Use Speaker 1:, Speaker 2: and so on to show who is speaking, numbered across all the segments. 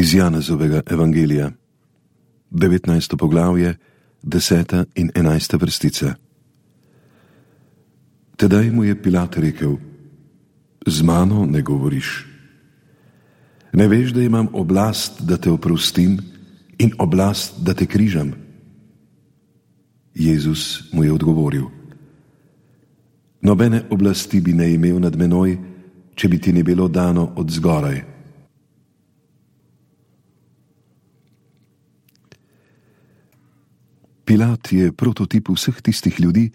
Speaker 1: Iz Janezovega evangelija, 19. poglavje, 10. in 11. vrstica. Tedaj mu je Pilat rekel: Z mano ne govoriš. Ne veš, da imam oblast, da te oprostim, in oblast, da te križam? Jezus mu je odgovoril: Nobene oblasti bi ne imel nad menoj, če bi ti ne bilo dano od zgoraj. Pilat je prototip vseh tistih ljudi,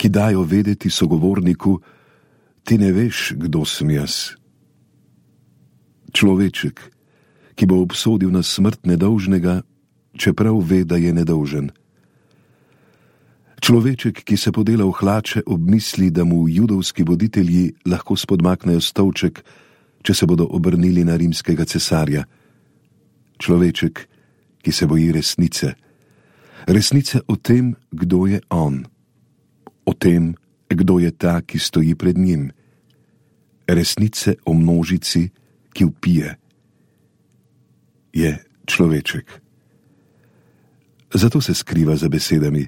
Speaker 1: ki dajo vedeti sogovorniku: ti ne veš, kdo sem jaz. Človeček, ki bo obsodil na smrt nedolžnega, čeprav ve, da je nedolžen. Človeček, ki se podela v hlače ob misli, da mu judovski voditelji lahko spodmaknejo stolček, če se bodo obrnili na rimskega cesarja. Človeček, ki se boji resnice. Resnice o tem, kdo je on. O tem, kdo je ta, ki stoji pred njim. Resnice o množici, ki vpije. Je človeček. Zato se skriva za besedami: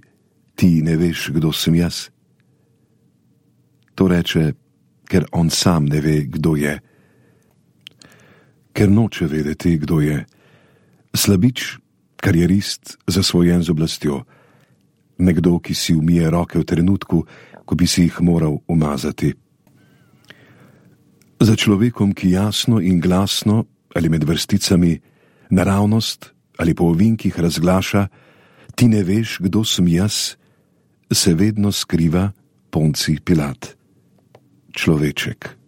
Speaker 1: ti ne veš, kdo sem jaz. To reče, ker on sam ne ve, kdo je. Ker noče vedeti, kdo je. Slabič, karierist, zasvojen z oblastjo. Nekdo, ki si umije roke v trenutku, ko bi si jih moral umazati. Za človekom, ki jasno in glasno ali med vrsticami, naravnost ali po ovinkih razglaša: ti ne veš, kdo sem jaz, se vedno skriva Poncij Pilat. Človeček.